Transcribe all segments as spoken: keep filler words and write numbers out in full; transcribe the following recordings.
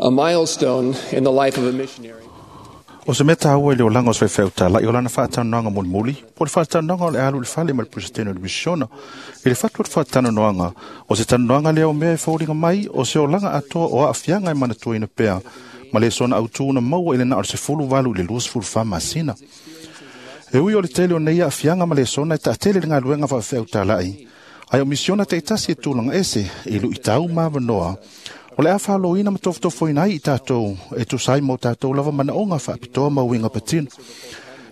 A milestone in the life of a missionary. O se mea tāua i le olaga o se faifeau tāla'i o lana faatalanoaga mulimuli po o le faatalanoaga o le alu i le fale ma le Peresetene o le misiona. I le fatu o le faatalanoaga, o se talanoaga lea o mea e foliga mai o se olaga atoa o aafiaga e manatuaina pea ma le sona autū na maua i le na o le sefulu valu i le luasefulufa masina. E ui o le tele o nei aafiaga ma lesona e taatele le galuega faafeau tāla'i, ae o misiona taitasi e tulaga ese i luʻitau ma avanoa o le a faaloina ma tofotofoina ai i tatou e tusa ai ma o tatou lava manaoga faapitoa ma uiga patino.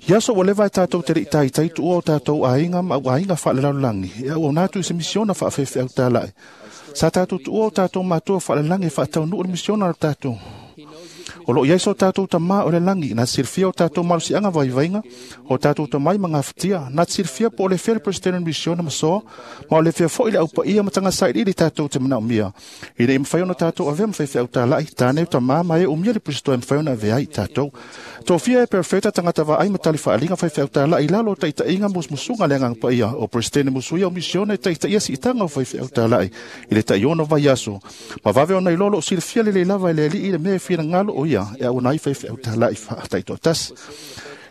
Ia aso ua leva e tatou te leʻi taitai tuua o tatou aiga ma auaiga faalelalolagi e auauna atu i se misiona faafefeau tāla'i. Sa tatou tuua o tatou matua faalelagi e faataunuu le misiona a tatou. O loo i ai so tatou Tamā o le lagi na silafia o tatou malosiaga vaivaiga, o tatou tamai ma gafatia, na silafia po o le fea le Peresetene misiona ma soa, ma o le fea foʻi le aupaia ma tagasailiili tatou te manaomia ina ia mafai ona tatou avea ma faifeau tālaʻi tane tamā ma e umia le Kristo e mafai ona avea ai i tatou. Tofia e perfeta tagata vaai ma tali faaliga faifeau tālaʻi i lalo o taitaʻiga musumusuga le Agaga Paia o Peresetene musuia o misiona e taitaʻia siitaga o faifeau tālaʻi i le taiono vaiaso ma vave ona iloa loo silafia lelei lava e le Alii le mea e finagalo o ia e auona ai faifeau tālaʻi faataitoatasi.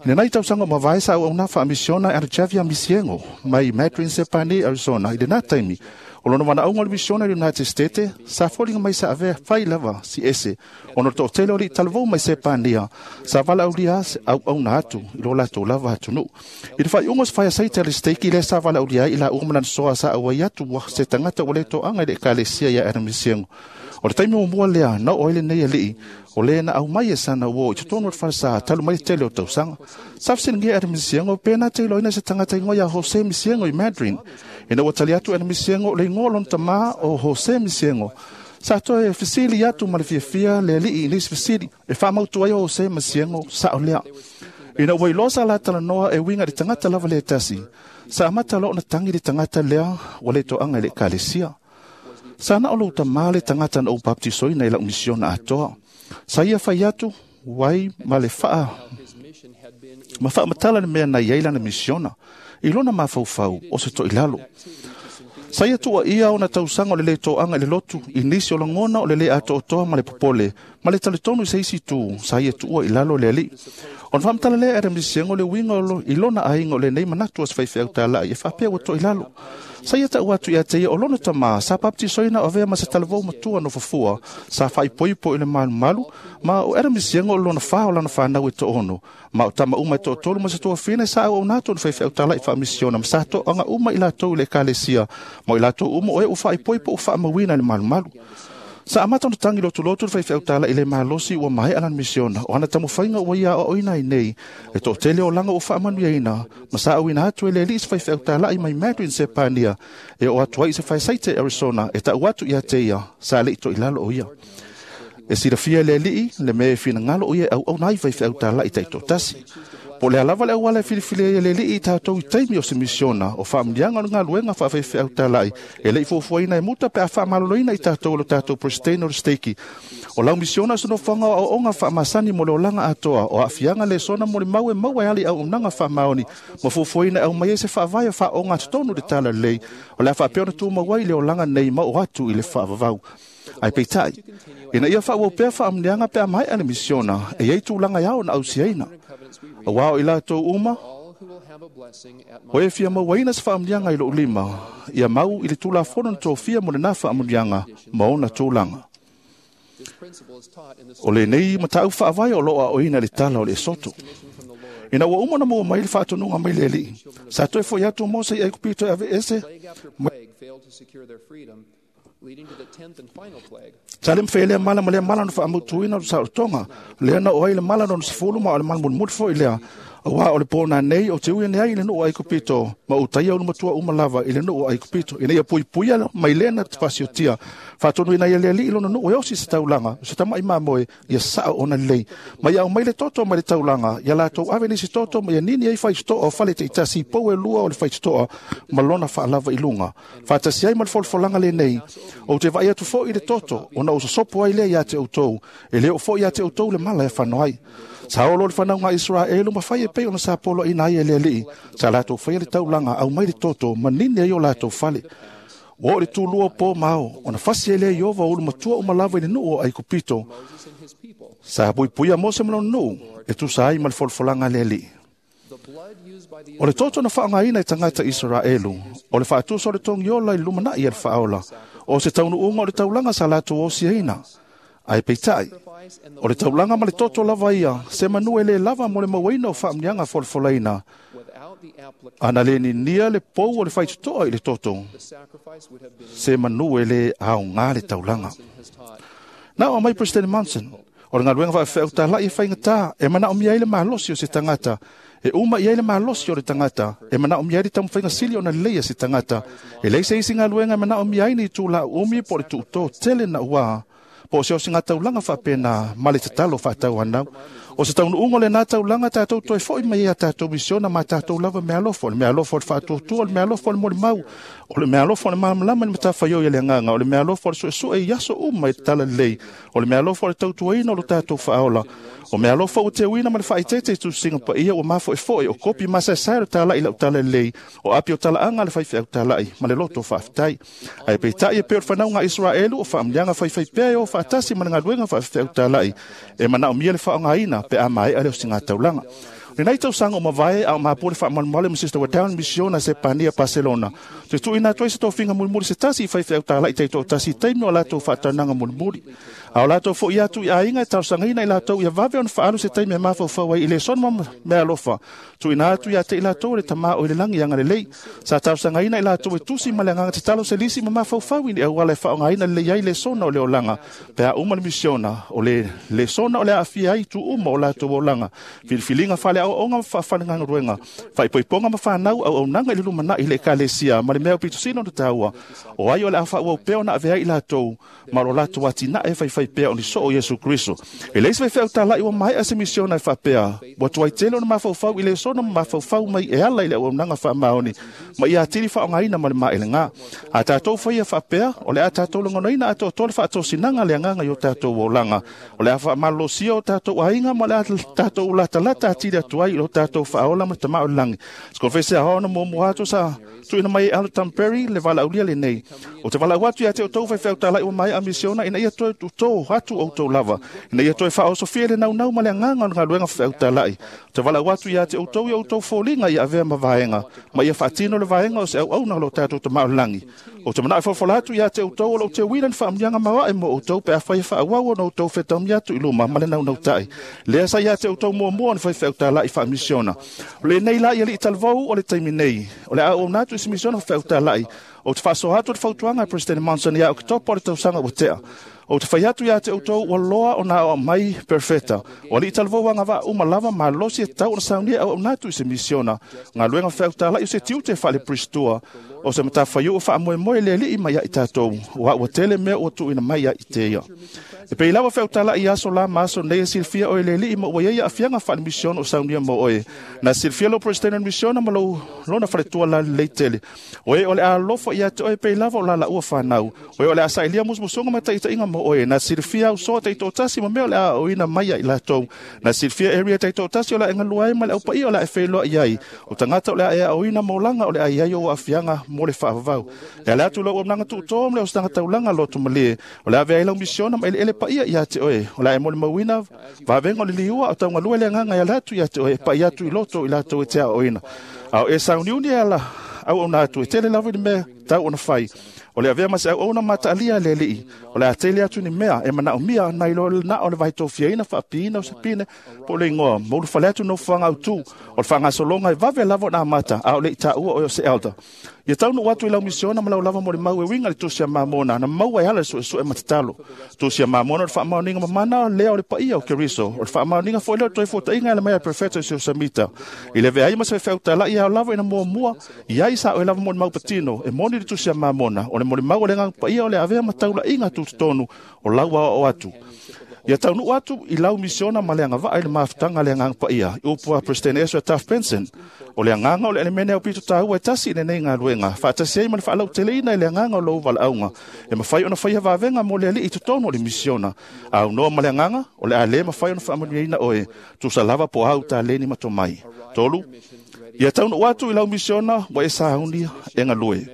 I lenei tausaga o mavae sa auauna faamisiona e Javier Misiego mai Madryn Sepane, Arizona. I lena taimi o lona manaʻauga o le misiona i le United States sa foliga mai sa avea fai lava si ese ona o le toʻatele o liʻi talavou mai Sepania sa valaaulia auauna atu i lo latou lava atunuu. I le faaiuga o se faiasaite a le steiki lea sa valaaulia ai i lauga ma lana soa sa auai atu se tagata ua le toaga i le ekalesia ia Adam Misiego. O le taimi muamua lea na oo ai lenei alii o lē na aumai e sana uō i totonu o le falesā talu mai le tele o tausaga. Sa fesiligia Adam Misiego pe na te iloaina se tagata igoa iā Jose Misiego i Madryn. Ina ua tali atu Adam Misiego o le igoa o lona tamā o Jose Misiego. Sa toe fesili atu ma le fiafia le alii i nisi fesili e faamautu ai o Jose Misiego saʻo lea. Ina ua iloa sa latalanoa e uiga i le tagata lava le tasi, sa amata loa ona tagi le tagata lea ua le toaga i le ekalesia. Sa na o lou tamā le tagata na ou baptisoina i lau misiona atoa. Sa ia fai atu wai ma le faa ma faamatala le mea na iai lana misiona i lona mafaufau o se toʻilalo. Sa ia tuuaʻia ona tausaga o le lē toaga i le lotu i nisi o lagona o le lē atoatoa ma le popole ma le talitonu i se isi itu sa ia tuua i lalo le Alii. Ona faamatala lea e Adam Misiego le uiga i lona aiga o lenei manatu a se faifeau tālaʻi e faapea ua toʻilalo. Sa ia taʻu atu ia te ia o lona tamā sa baptisoina o avea ma se talavou matua nofofua sa faaipoipo i le malumalu, ma o Adam Misiego o lona fa o lana fanau e toono, ma o tama uma e toatolu ma se tuafina sa auauna atu ona faifeau tālaʻi faamisiona ma sa toaga uma i latou i le ekalesia, ma o i latou uma o e ua faaipoipo ua faamauina i le malumalu. Sa amata ona tagi lotulotu le faifeau tālaʻi le malosi ua maeʻa lana misiona o ana taumafaiga ua ia aoaoina ai nei e toʻatele olaga ua faamanuiaina ma sa auina atu e le Alii se faifeau tālaʻi mai Madryn Sepania e oo atu ai i se faesaite Arizona e taʻu atu ia te ia sa leʻi toʻilalo o ia. E silafia e le Alii le mea e finagalo o ia e auauna ai faifeau tālaʻi taitoatasi. Po o le a lava le auala e filifili ai e le Alii i tatou i taimi o se misiona o faamanuiaga o le galuega faafeifeau tālaʻi e leʻi fuafuaina e muta pe a faamaloloina i tatou e lo tatou Peresetene o le steiki. O lau misiona o se nofoaga o aoaoga faamasani mo le olaga atoa o aafiaga lesona mo le mau e maua e ala i auaunaga faamaoni ma fuafuaina e aumai ai se faavae o faaooga totonu i le tala lelei o le a faapea ona tumau ai le olaga nei ma oo atu i le faavavau. Ae peitai, ina ia faaauau pea faamanuiaga pe a maeʻa le misiona, e iai tulaga e ao ona ausiaina. Auā o i latou uma o e fia mauaina se faamanuiaga i lou lima, ia mau i le tulafono na tofia mo lenā faamanuiaga ma ona tulaga. O lenei mataʻu faavae o loo aoina i le tala o le Esoto. Ina ua uma ona maua mai le faatonuga mai le Alii, sa toe foʻi atu o Mose i Aikupito e aveese mai Sa le mafai e lea mala ma lea mala ona faamautuina o le saolotoga lea na oo ai le mala lona sefulu ma o le mala mulimuli foʻi lea. Auā o le pō nanei o te ui ane ai i le nuu o Aikupito ma utaia ulumatua uma lava i le nuu o Aikupito ina ia puipuia mai lea na fasiotia. Faatonuina ai e le Alii lona nuu e osi se taulaga o se tamaʻi mamoe ia saʻo ona lelei ma ia aumai le toto mai le taulaga ia latou ave nisi toto ma ia nini ai faitotoa o fale taitasi i pou e lua o le faitotoa ma lona faalava i luga faatasi ai ma le folafolaga lenei. Ou te vaai atu foʻi i le toto ona ou sosopo ai lea iā te outou, e lē oo foʻi iā te outou le mala e fano ai. Sa olo le fanauga a Iseraelu ma fai e pei ona sa poloaina ai e le Alii. Sa latou faia le taulaga, aumai le toto ma nini ai o latou fale. Ua o le tūlua pō mao, ona fasi e lea Iova ulu matua umalawa i le nuu o Aikupito. Sa puipuia Mose ma lona nuu, e tusa ai ma le folafolaga a le Alii. O le toto na faaaogaina e tagata Isaraelu, o le faatusa o le togiola i le lumanai a le faaola, o se taunuuga o le taulaga sa latou osiaina. Ae peitai, o le taulaga ma le toto lava ia, se manu e le lava mo le mauaina o faamuniaga folafolaina. Ana le ninia le pou o le faitotoa i le toto, se manu e le aoga le taulaga. Na o mai President Monson, o le galuega faafeau talai e faigata, e manaomia ai le malosi o se tagata, e uma i ai le malosi o le tagata, e manaomia ai le taumafaiga sili ona lelei a se tagata, e leai se isi galuega e manaomia ai ni itula umi po o le tuutō tele na ua, po o se osiga taulaga faapena ma le tatalo faatauanau. O se taunuuga o lenā taulaga tatou toe fo'i mai ai a tatou misiona ma tatou lava meaalofa, o le meaalofa o le faatuatua, o le meaalofa o le molimau, o le meaalofa o le malamalama i le matafaioi a le agaga, o le meaalofa o le suesue i aso uma i le talalelei, o le meaalofa o le tautuaina o lo tatou faaola, o meaalofa ua teuina ma le faaeteete i tusiga paia ua mafoefoe, o kopi masaesae o le talai lau talalelei, o api o talaaga a le faifeau talai ma le loto faafetai. Ae peitai e pei o le fanauga a Isaraelu o faamuliaga faifaipea e o faatasi ma le galuega faafeau talai, e manaomia le faaaogaina pe a maea le osiga taulaga. Lenei tausaga o mavae a o mapua le faamalumalu ma Sister Wadown misiona Sepania Barcelona. Te tuuina atu ai se tofiga mulimuli se tasi i faifeau talai taitoatasi i taimi o latou faataunaga mulimuli. A o latou fo'i atu i aiga e talosagaina i latou ia vave ona faaalu se taimi e mafaufau ai i lesona ma meaalofa. Tuuina atu ia te i latou le Tama o i le lagi agalelei. Sa talosagaina i latou e tusi ma le agaga tatalo se lisi ma mafaufau i ni auala e faaaogaina lelei ai lesona o le olaga. Pe a uma le misiona, o le lesona o le aafia ai itu uma o latou olaga. Filifiliga faaleaoaoga ma faafalegaluega, faaipoipoga ma fanau auaunaga i le lumanai i le ekalesia ma le mea aupito sili ona taua, o ai o le a faaauau pea ona avea ai i latou ma lo latou atinae e faifai pea o ni soo o Iesu Keriso. E leai se faifeau talai ua maea se misiona e faapea, ua tuai tele ona mafaufau i lesona ma mafaufau mai e ala i le auaunaga faamaoni ma ia atili faaaogaina ma le maelega. A tatou faia faapea, o le a tatou lagonaina atoatoa le faatosinaga le agaga i o tatou olaga, o le a faamalolosia o tatou aiga ma le a tatou latalata atili atu ai i lo tatou faaola ma le Tama o le lagi. Se konfese a ona muamua atu sa tuuina mai e Aldo Tamperry le valaaulia lenei. O te valaau atu ia te outou faifeau talai ua maea misiona ina ia toe tutō atu outou lava, ina ia toe faaosofia le naunau ma le agaga o le galuega faifeau talai. O te valaau atu ia te outou i outou foliga ia avea ma vaega, ma ia faatino le vaega o se auauna o lo tatou Tama o le lagi. O te manao e folafola atu ia te outou o lou teuina ni faamuniaga maoae mo outou pe afai e faaauau ona outou fetaumia atu i luma ma le naunautai. Lea sa ia te outou muamua o ni faifeau talai faamisiona. O lenei la i alii talavou o le taimi nei, o le a auauna atu i se misiona faifeau talai. O te faasoa atu le fautuaga a President Monson ia Oketopa o le tausaga ua tea. O te fai atu ia te outou ua loa ona aoao mai perfeta. O alii talavou agavaa uma lava malosi e tatau ona saunia e auauna atu i se misiona. Galuega faifeau talai o se tiute faale-Pristua, o se matafaioi faamoemoe le Alii mai ia i tatou, ua ua tele mea ua tuuina mai ia i te ia. E pei lava faifeau talai i aso la ma aso nei e silafia oe le Alii ma ua iai aafiaga faale-misiona o saunia mo oe. Na silafia lou President o le misiona ma lou lona faletua lalelei tele. O e o le a alofa ia te oe pei lava o lalaua fanau. O e o le a sailia musumusuga ma taitaiga mo oe. Na silafia au soa taitoatasi ma mea o le a aoina mai ia i latou. Na silafia area taitoatasi o le a e galue ai ma le aupaia o le a e feiloai ai. O tagata o le a e aoina ma olaga o le a i ai ou aafiaga mo le faavavau. E ala atu lou auaunaga tuutoa ma le ositaga taulaga loto malie. O le a avea ai lau misiona ma eleele paia ia te oe. O le a e molimauina vavega o le liua o taugalue le agaga e ala atu ia te oe e pai atu i loto i latou e te aoaoina. A o e sauniuni e ala auauna atu e tele lava i le mea tau ona fai. O le avea ma se auauna mataalia a le Alii. O le a tele atu ni mea e manaomia nai lo na o le vaitofiaina faapiina o se pine po o le igoa. Ma ulufale atu nofoaga autū o le faagasologa e vave lava ona amata a o le i taua oe o se elder. Ia taunuu atu i lau misiona ma lau lava molimau e uiga i le tusi a Mamona na maua e ala le suesue ma tatalo. Tusi a Mamona o le faamaoniga mamana lea o le paia o Keriso. O le faamaoniga foi lea o le toe fuataiga e ala mai a le Perfeta o Siosamita. I le avea ai ma se faifeau talai ao lava ina muamua i ai sa oe lava molimau patino e moni le tusi a Mamona o le molimau o le agaga paia o le avea ma taulaiga tutotonu o lau aoao atu. Ia taunuu atu i lau misiona ma le agavaa i le mafutaga a le agaga paia. I upu a President Ezra Taft Benson, o le agaga o le elemene aupito taua e tasi i lenei galuega, faatasi ai ma le faalauteleina i le agaga o lou valaauga, e mafai ona faia vavega mo le Alii i totonu o le misiona. Aunoa ma le agaga, o le a le mafai ona faamanuiaina oe, tusa lava po o au taleni ma tomai. Tolu, ia taunuu atu i lau misiona ua e saunia e galue.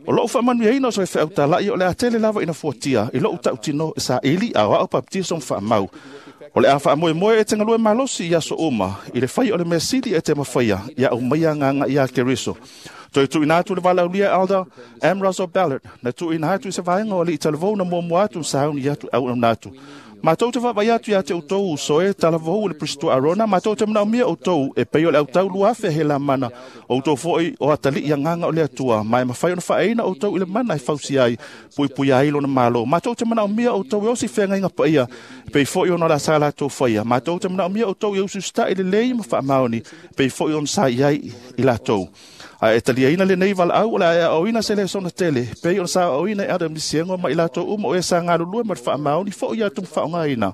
O lou faamanuiaina o se faifeau tala'i o le a tele lava ina fuatia i lo'u ta'utino e saili a o a'o papatiso ma fa'amau. O le a fa'amoemoe e te galue malosi i aso uma i le fai o le mea sili e te mafaia ia aumaia agaga iā Keriso. Toe tu'uina atu le valaaulia Elder M. Russell Ballard na tu'uina atu i se vaega o ali'i talavou na muamua atu sauni atu auauna atu. Matou te vaavaai atu iā te outou uso e talavou i le Peresitene Arona, matou te manaomia outou e pei o le autau lua afe helamana, outou fo'i o atali'i agaga o le Atua, ma e mafai ona fa'aina outou i le mana e fausia ai, puipuia ai lona malo. Matou te manaomia outou e osi feagaiga paia, e pei fo'i ona la sa latou faia. Matou te manaomia outou e usiusita'i lelei ma fa'amaoni, e pei fo'i ona sa i ai i latou. Ae e taliaina lenei valaau o le a e aoaoina se lesona tele, pei ona sa aoaoina e Adam Misiego ma i latou uma o e sa galulue ma le fa'amaoni fo'i atu ma fa'aogaina.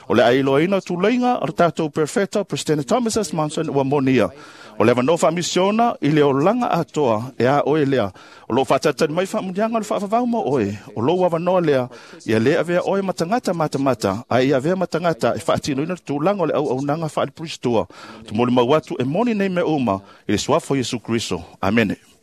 O le a iloaina tuleiga o le tatou perfeta President Thomas S. Monson ua monia. O le avanoa fa'amisiona i le olaga atoa e a oe lea. O loo fa'atalitali mai fa'amuniaga o le fa'avavau mo oe. O lou avanoa lea, ia lē avea oe ma tagata matamata, ae ia avea ma tagata e fa'atinoina le tulaga o le auaunaga fa'alepuristua. Tumolimau atu e moni nei mea uma i le suafa o Iesu Keriso. Amene.